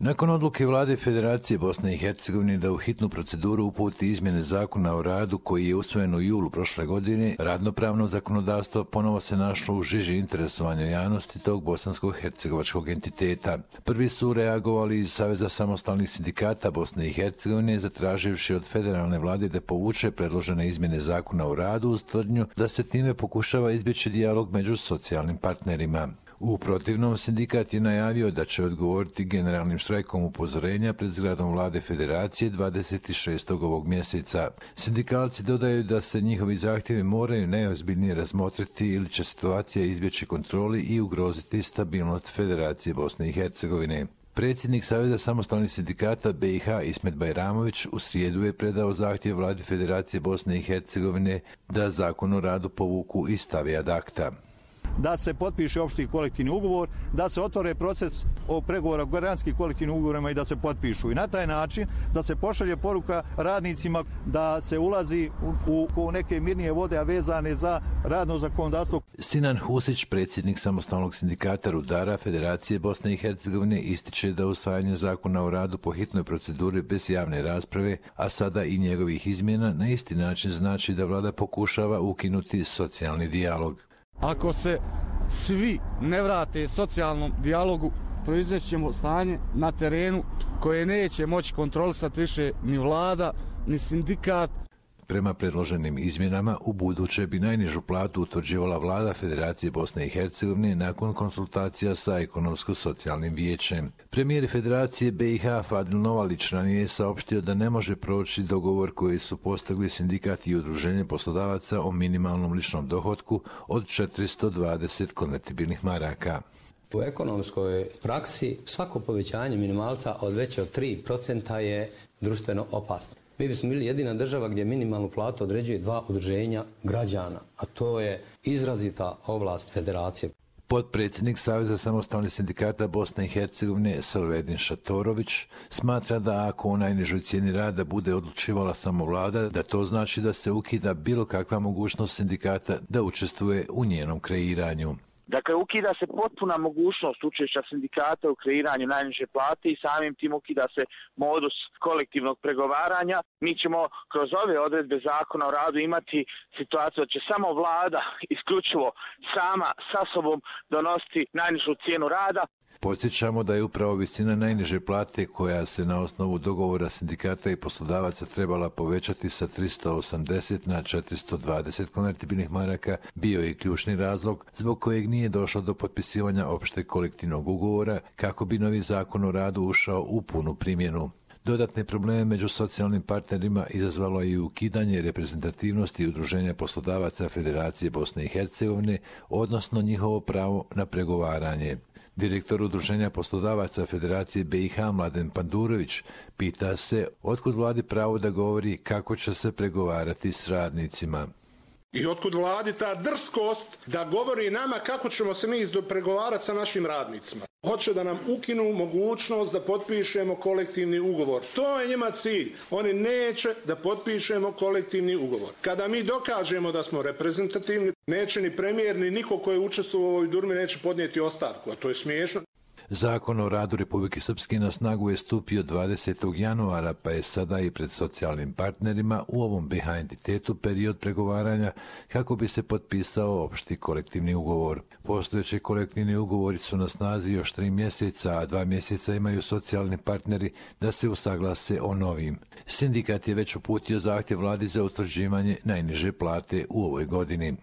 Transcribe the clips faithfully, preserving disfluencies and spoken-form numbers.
Nakon odluke vlade Federacije Bosne i Hercegovine da u hitnu proceduru uputi izmjene zakona o radu koji je usvojen u julu prošle godine, radnopravno zakonodavstvo ponovo se našlo u žiži interesovanja javnosti tog bosansko-hercegovačkog entiteta. Prvi su reagovali iz Saveza samostalnih sindikata Bosne i Hercegovine, zatraživši od federalne vlade da povuče predložene izmjene zakona o radu uz tvrdnju da se time pokušava izbjeći dijalog među socijalnim partnerima. U protivnom, sindikat je najavio da će odgovoriti generalnim štrajkom upozorenja pred zgradom vlade Federacije dvadeset šestog ovog mjeseca. Sindikalci dodaju da se njihovi zahtjevi moraju najozbiljnije razmotriti ili će situacija izbjeći kontroli i ugroziti stabilnost Federacije Bosne i Hercegovine. Predsjednik Saveza samostalnih sindikata B i H Ismet Bajramović u srijedu je predao zahtjev vladi Federacije Bosne i Hercegovine da zakon o radu povuku i stave ad acta. Da se potpiše opšti kolektivni ugovor, da se otvore proces o pregovora o granskim kolektivnim ugovorima i da se potpišu. I na taj način da se pošalje poruka radnicima da se ulazi u, u neke mirnije vode, a vezane za radno zakonodavstvo. Sinan Husić, predsjednik samostalnog sindikata rudara Federacije Bosne i Hercegovine, ističe da usvajanje zakona o radu po hitnoj proceduri bez javne rasprave, a sada i njegovih izmjena, na isti način znači da vlada pokušava ukinuti socijalni dijalog. Ako se svi ne vrate socijalnom dijalogu, proizvešćemo stanje na terenu koje neće moći kontrolisati više ni vlada, ni sindikat. Prema predloženim izmjenama, u buduće bi najnižu platu utvrđivala vlada Federacije Bosne i Hercegovine nakon konsultacija sa ekonomsko-socijalnim vijećem. Premijer Federacije B i H Fadil Novalić ranije je saopštio da ne može proći dogovor koji su postigli sindikat i udruženje poslodavaca o minimalnom ličnom dohotku od četiristo dvadeset konvertibilnih maraka. U ekonomskoj praksi svako povećanje minimalca od veće od tri procenta je društveno opasno. Mi bismo bili jedina država gdje minimalnu platu određuje dva udruženja građana, a to je izrazita ovlast Federacije. Potpredsjednik Saveza samostalnih sindikata Bosne i Hercegovine Salvedin Šatorović smatra da ako u najnižoj cijeni rada bude odlučivala samo vlada, da to znači da se ukida bilo kakva mogućnost sindikata da učestvuje u njenom kreiranju. Dakle, ukida se potpuna mogućnost učešća sindikata u kreiranju najniže plate i samim tim ukida se modus kolektivnog pregovaranja. Mi ćemo kroz ove odredbe zakona o radu imati situaciju da će samo vlada isključivo sama sa sobom donositi najnižu cijenu rada. Podsjećamo da je upravo visina najniže plate koja se na osnovu dogovora sindikata i poslodavaca trebala povećati sa tristo osamdeset na četiristo dvadeset konvertibilnih maraka bio i ključni razlog zbog kojeg nije došlo do potpisivanja opšteg kolektivnog ugovora kako bi novi zakon o radu ušao u punu primjenu. Dodatne probleme među socijalnim partnerima izazvalo je i ukidanje reprezentativnosti udruženja poslodavaca Federacije Bosne i Hercegovine, odnosno njihovo pravo na pregovaranje. Direktor udruženja poslodavaca Federacije B i H Mladen Pandurović pita se otkud vladi pravo da govori kako će se pregovarati s radnicima. I otkud vladi ta drskost da govori nama kako ćemo se mi izdopregovarati sa našim radnicima. Hoće da nam ukinu mogućnost da potpišemo kolektivni ugovor. To je njima cilj. Oni neće da potpišemo kolektivni ugovor. Kada mi dokažemo da smo reprezentativni, neće ni premijer ni niko ko je učestvovao u ovoj durmi neće podnijeti ostavku, a to je smiješno. Zakon o radu Republike Srpske na snagu je stupio dvadesetog januara, pa je sada i pred socijalnim partnerima u ovom B H entitetu period pregovaranja kako bi se potpisao opšti kolektivni ugovor. Postojeći kolektivni ugovori su na snazi još tri mjeseca, a dva mjeseca imaju socijalni partneri da se usaglase o novim. Sindikat je već uputio zahtjev vladi za utvrđivanje najniže plate u ovoj godini.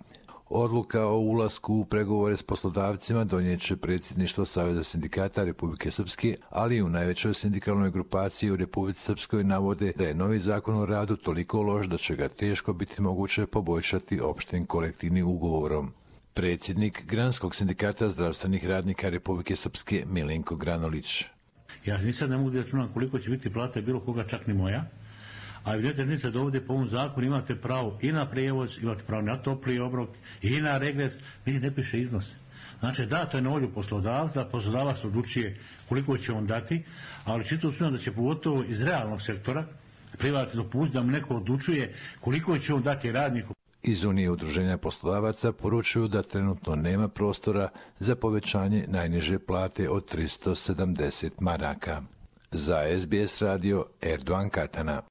Odluka o ulasku u pregovore s poslodavcima donijet će predsjedništvo Saveza sindikata Republike Srpske, ali i u najvećoj sindikalnoj grupaciji u Republici Srpskoj navode da je novi zakon o radu toliko loš da će ga teško biti moguće poboljšati opštim kolektivnim ugovorom. Predsjednik Granskog sindikata zdravstvenih radnika Republike Srpske Milenko Granolić. Ja nisam ne mogu da računam koliko će biti plata bilo koga, čak ni moja. A vidite da ovdje po ovom zakonu imate pravo i na prijevoz, imate pravo na topli obrok i na regres, vidite ne piše iznos. Znači da, to je na volju poslodavca, poslodavac odlučuje koliko će on dati, ali čito su da će pogotovo iz realnog sektora privatno dopustiti da mu neko odlučuje koliko će on dati radniku. Iz Unije udruženja poslodavaca poručuju da trenutno nema prostora za povećanje najniže plate od tristo sedamdeset maraka. Za S B S radio, Erdoğan Katana.